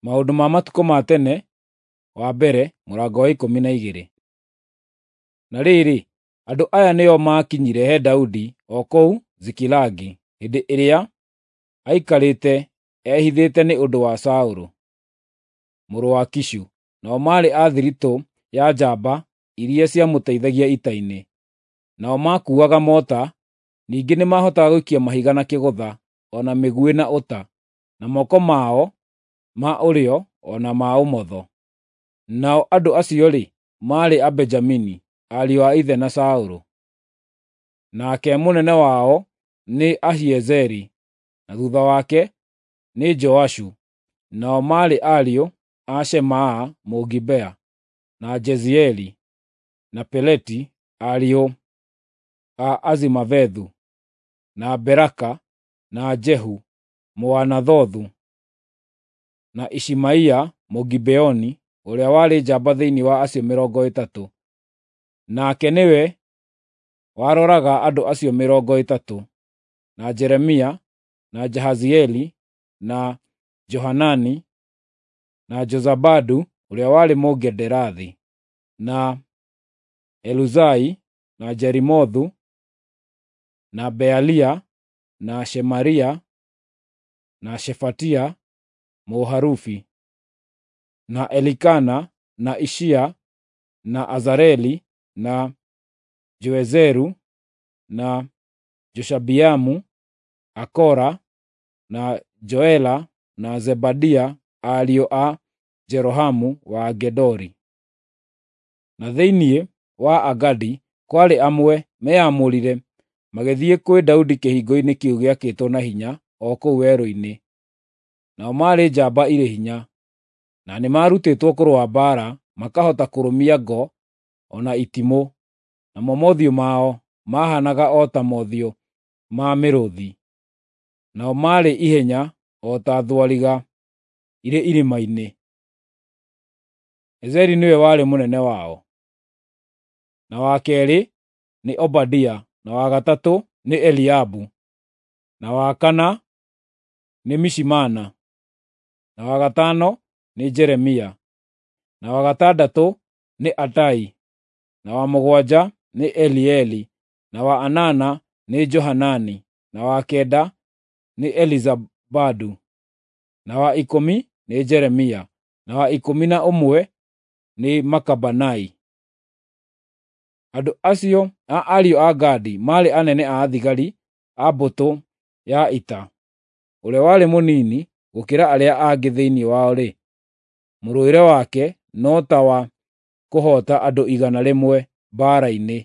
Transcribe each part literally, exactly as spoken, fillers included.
Maũndũ ma Matukũ ma Tene wa mbere mũrango wa ikũmi na igĩrĩ. Na rĩrĩ, andũ aya nĩo maakinyire he Daudi o kũu Zikilagi hĩndĩ ĩrĩa aikarĩte ehithĩte nĩ ũndũ wa Saũlũ, mũrũ wa Kishu. Nao maarĩ a thiritũ ya njamba iria ciamũteithagia ita-inĩ. Nao maakuuaga mota, ningĩ nĩmahotaga gũikia mahiga na kĩgũtha, o na mĩguĩ na ũta, na moko mao ma ũrĩo o na ma ũmotho. Nao andũ acio-rĩ, maarĩ Abenjamini, ariũ a ithe na Saũlũ. Nake mũnene wao nĩ Ahiezeri, na thutha wake nĩ Joashu. Nao maarĩ ariũ a Shemaa Mũgibea, na Jezieli, na Peleti, ariũ a Azimavethu, na Beraka, na Jehu Mũanathothu, na Ishimaia Mũgibeoni ũrĩa warĩ njamba thĩinĩ wa acio mĩrongo ĩtatũ. Nake nĩwe waroraga andũ acio mĩrongo ĩtatũ, na Jeremia, na Jahazieli, na Johanani, na Jozabadu ũrĩa warĩ Mũgederathi, na Eluzai, na Jerimothu, na Bealia, na Shemaria, na Shefatia Mũharufi, na Elikana, na Ishia, na Azareli, na Joezeru, na Joshabiamu, Akora, na Joela, na Zebadia, ariũ a Jerohamu wa Gedori. Na thĩinĩ wa Agadi kwarĩ amwe meyamũrire magĩthiĩ kwĩ Daudi kĩhingo-inĩ kĩu gĩakĩtwo na hinya o kũu werũ-inĩ. Nao maarĩ njamba irĩ hinya, na nĩmarutĩtwo kũrũa mbaara, makahota kũrũmia ngo o na itimũ, namo mothiũ mao maahaanaga o ta mothiũ ma mĩrũũthi. Nao maarĩ ihenya o ta thwariga irĩ irĩma-inĩ. Ezeri nĩwe warĩ mũnene wao, na wa keerĩ nĩ Obadia, na wa gatatũ nĩ Eliabu, na wa kana nĩ Mishimana, na wa gatano nĩ Jeremia, na wa gatandatũ nĩ Atai, na wa mũgwanja nĩ Elieli, na wa anana nĩ Johanani, na wa kenda nĩ Elizabadu, na wa ikũmi nĩ Jeremia, na wa ikũmi na ũmwe nĩ Makabanai. Andũ acio a ariũ a Gadi maarĩ anene a thigari a mbũtũ ya ita. Ũrĩa warĩ mũnini gũkĩra arĩa angĩ thĩinĩ wao-rĩ, mũrũĩre wake no ta wa kũhoota andũ igana rĩmwe mbaara-inĩ,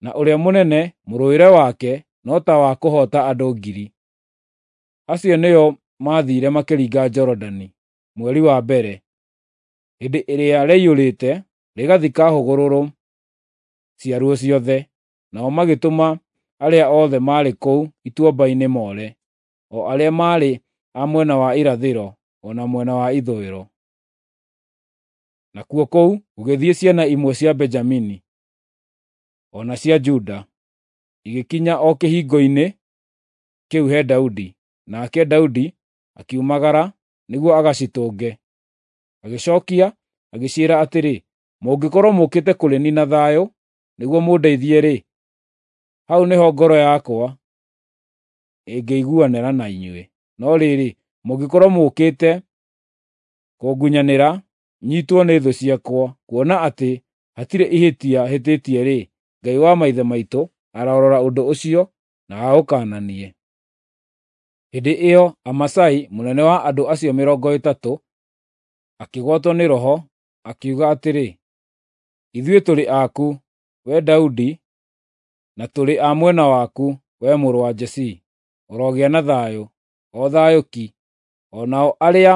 na ũrĩa mũnene mũrũĩre wake no ta wa kũhoota andũ ngiri. Acio nĩo maathiire makĩringa Jorodani mweri wa mbere, hĩndĩ ĩrĩa rĩaiyũrĩte rĩgathika hũgũrũrũ ciaruo ciothe. Nao magĩtũma arĩa othe maarĩ kũu ituamba-inĩ moore, o arĩa maarĩ a mwena wa irathĩro o na mwena wa ithũĩro. Nakuo kũu gũgĩthiĩ ciana imwe cia Benjamini o na cia Juda, igĩkinya o kĩhingo-inĩ kĩu he Daudi. Nake Daudi akiumagara nĩguo agacitũnge. Agĩcookia agĩciĩra atĩrĩ, “Mũngĩkorwo mũũkĩte kũrĩ niĩ na thayũ nĩguo mũndeithie-rĩ, hau nĩho ngoro yakwa ĩngĩiguanĩra na inyuĩ. No rĩrĩ, mũngĩkorwo mũũkĩte kũngunyanĩra nyiitwo nĩ thũ ciakwa, kuona atĩ hatirĩ ihĩtia hĩtĩtie-rĩ, Ngai wa maithe maitũ arorora ũndũ ũcio na aũkaananie.” Hĩndĩ ĩyo Amasai, mũnene wa andũ acio mĩrongo ĩtatũ, akĩgwatwo nĩ roho, akiuga atĩrĩ, “Ithuĩ tũrĩ aku, wee Daudi, na tũrĩ a mwena waku, wee mũrũ wa Jesii. Ũrogĩa na thayũ, o thayũ ki, o nao arĩa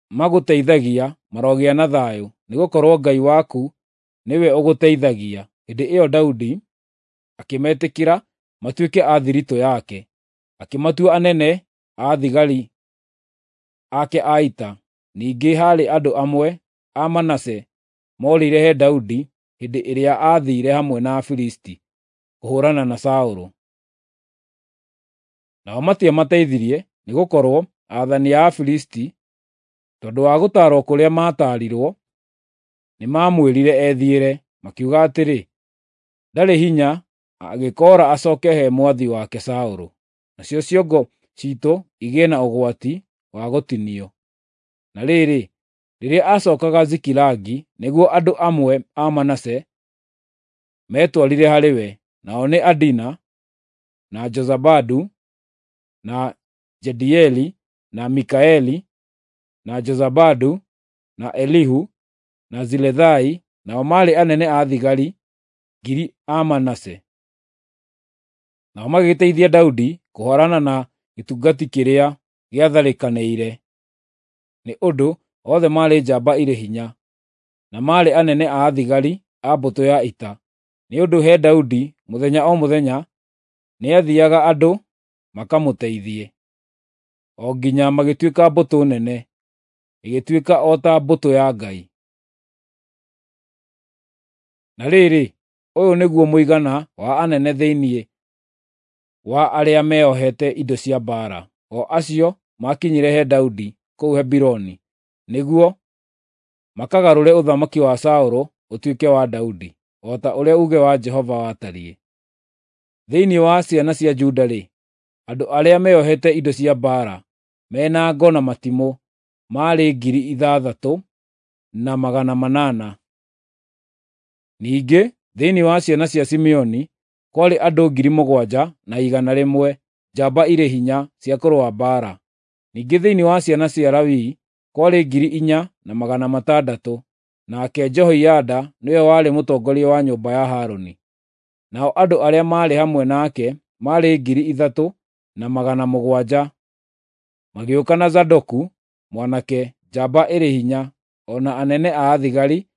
magũteithagia marogĩa na thayũ, nĩgũkorwo Ngai waku nĩwe ũgũteithagia.” Hĩndĩ ĩyo Daudi akĩmetĩkĩra matuĩke a thiritũ yake, akĩmatua anene a thigari ake a ita. Ningĩ haarĩ andũ amwe a Manase moorĩire he Daudi hĩndĩ ĩrĩa aathiire hamwe na Afilisti kũhũũrana na Saũlũ. Nao matiamateithirie, nĩgũkorwo aathani a Afilisti Tondũ wa gũtaarwo kũrĩa maataarirwo, nĩmamwĩrire ethiĩre, makiuga atĩrĩ, “Ndarĩ hinya angĩkoora acooke he mwathi wake Saũlũ, nacio ciongo ciitũ igĩe na ũgwati wa gũtinio.” Na rĩrĩ, rĩrĩa aacookaga Zikilagi, nĩguo andũ amwe a Manase meetwarire harĩ we, nao nĩ Adina, na Jozabadu, na Jediaeli, na Mikaeli, na Jozabadu, na Elihu, na Zilethai, nao maarĩ anene a thigari ngiri a Manase. Nao magĩgĩteithia Daudi kũhũũrana na gĩtungati kĩrĩa gĩatharĩkanĩire, nĩ ũndũ othe maarĩ njamba irĩ hinya, na maarĩ anene a thigari a mbũtũ ya ita. Nĩ ũndũ he Daudi mũthenya o mũthenya nĩathiiaga andũ makamũteithie, o nginya magĩtuĩka mbũtũ nene, ĩgĩtuĩka o ta mbũtũ ya Ngai. Na rĩrĩ, ũyũ nĩguo mũigana wa anene thĩinĩ wa arĩa meeohete indo cia mbaara, o acio maakinyire he Daudi kũu Hebironi nĩguo makagarũre ũthamaki wa Saũlũ ũtuĩke wa Daudi, o ta ũrĩa uuge wa Jehova watariĩ. Thĩinĩ wa ciana cia Juda-rĩ, andũ arĩa meeohete indo cia mbaara, me na ngo na matimũ, maarĩ ngiri ithathatũ na magana manana. Ningĩ thĩinĩ wa ciana cia Simeoni kwarĩ andũ ngiri mũgwanja na igana rĩmwe, njamba irĩ hinya cia kũrũa mbaara. Ningĩ thĩinĩ wa ciana cia Lawi kwarĩ ngiri inya na magana matandatũ, nake Jehoiada nĩwe warĩ mũtongoria wa nyũmba ya Harũni. Nao andũ arĩa maarĩ hamwe nake maarĩ ngiri ithatũ na magana mũgwanja. Magĩũka na Zadoku mwanake, njamba ĩrĩ hinya, o na anene a thigari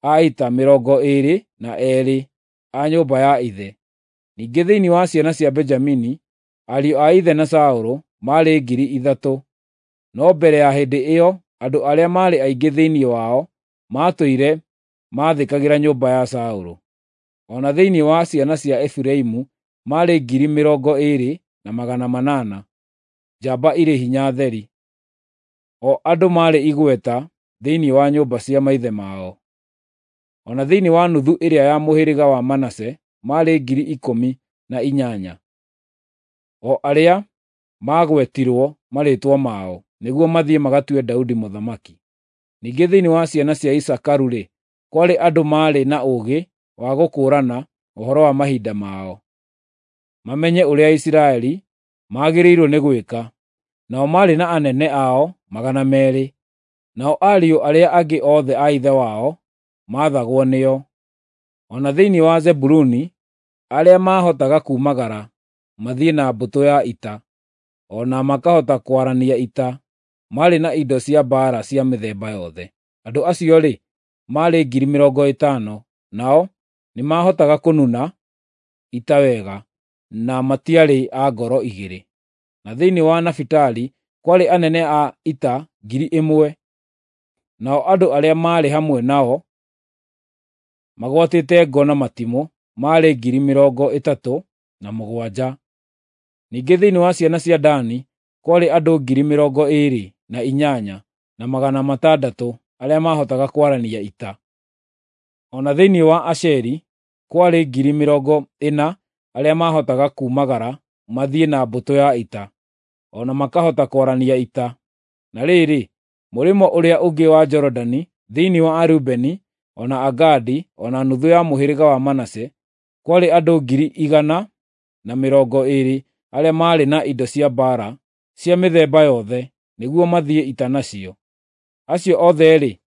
a ita mĩrongo ĩĩrĩ na eerĩ a nyũmba ya ithe. Ningĩ thĩinĩ wa ciana cia Benjamini, ariũ a ithe na Saũlũ maarĩ ngiri ithatũ, no mbere ya hĩndĩ ĩyo andũ arĩa maarĩ aingĩ thĩinĩ wao maatũire maathĩkagĩra nyũmba ya Saũlũ. O na thĩinĩ wa ciana cia Efiraimu maarĩ ngiri mĩrongo ĩĩrĩ na magana manana, njamba irĩ hinya theri, o andũ maarĩ igweta thĩinĩ wa nyũmba cia maithe mao. O na thĩinĩ wa nuthu ĩrĩa ya mũhĩrĩga wa Manase maarĩ ngiri ikũmi na inyanya, o arĩa maagwetirwo marĩĩtwa mao, nĩguo mathiĩ magatue Daudi mũthamaki. Ningĩ thĩinĩ wa ciana cia Isakaru-rĩ, kwarĩ andũ maarĩ na ũũgĩ wa gũkũũrana ũhoro wa mahinda mao, mamenye ũrĩa Isiraeli maagĩrĩirwo nĩ gwĩka. Nao maarĩ na anene ao magana meerĩ, nao ariũ arĩa angĩ othe a ithe wao maathagwo nĩo. O na thĩinĩ wa Zebuluni, arĩa maahotaga kuumagara mathiĩ na mbũtũ ya ita, o na makahota kwarania ita, maarĩ na indo cia mbaara cia mĩthemba yothe. Andũ acio-rĩ, maarĩ ngiri mĩrongo ĩtano, nao nĩmahotaga kũnuna ita wega, na matiarĩ a ngoro igĩrĩ. Na thĩinĩ wa Nafitali kwarĩ anene a ita ngiri ĩmwe, nao andũ arĩa maarĩ hamwe nao magwatĩte ngo na matimũ maarĩ ngiri mĩrongo ĩtatũ na mũgwanja. Ningĩ thĩinĩ wa ciana cia Dani kwarĩ andũ ngiri mĩrongo ĩĩrĩ na inyanya na magana matandatũ arĩa maahotaga kwarania ita. O na thĩinĩ wa Asheri kwarĩ ngiri mĩrongo ĩna arĩa maahotaga kuumagara mathiĩ na mbũtũ ya ita, o na makahota kwarania ita. Na rĩrĩ, mũrĩmo ũrĩa ũngĩ wa Jorodani, thĩinĩ wa Arubeni, o na Agadi, o na nuthu ya mũhĩrĩga wa Manase, kwarĩ andũ ngiri igana na mĩrongo ĩĩrĩ arĩa maarĩ na indo cia mbaara cia mĩthemba yothe, nĩguo mathiĩ ita nacio. Acio othe-rĩ,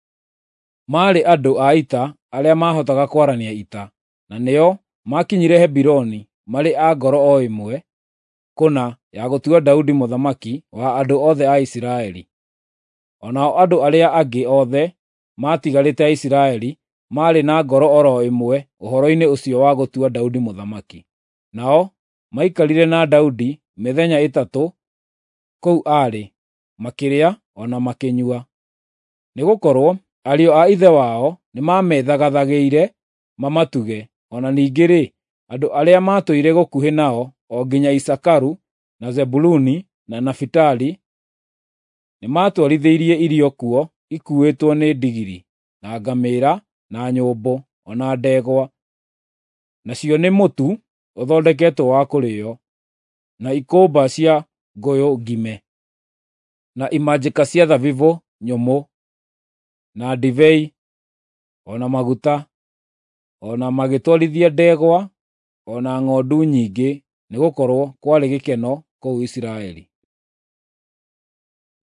maarĩ andũ a ita arĩa maahotaga kwarania ita, na nĩo maakinyire Hebironi marĩ a ngoro o ĩmwe kũna ya gũtua Daudi mũthamaki wa andũ othe a Isiraeli. O nao andũ arĩa angĩ othe maatigarĩte a Isiraeli maarĩ na ngoro o ro ĩmwe ũhoro-inĩ ũcio wa gũtua Daudi mũthamaki. Nao maikarire na Daudi mĩthenya ĩtatũ kũu aarĩ, makĩrĩa o na makĩnyua. Nĩgũkorwo ariũ a ithe wao nĩmamethagathageire mamatuge, o na ningĩ-rĩ, andũ arĩa maatũire gũkuhĩ nao o nginya Isakaru, na Zebuluni, na Nafitali Nĩmatwarithĩirie irio kuo ikuuĩtwo nĩ ndigiri, na ngamĩĩra, na nyũmbũ, o na ndegwa, nacio nĩ mũtu ũthondeketwo wa kũrĩĩo, na ikũmba cia ngũyũ ngime, na imanjĩka cia thabibũ nyũmũ, na ndibei, o na maguta, o na magĩtwarithia ndegwa o na ng'ondu nyingĩ, nĩgũkorwo kwarĩ gĩkeno kũu Isiraeli.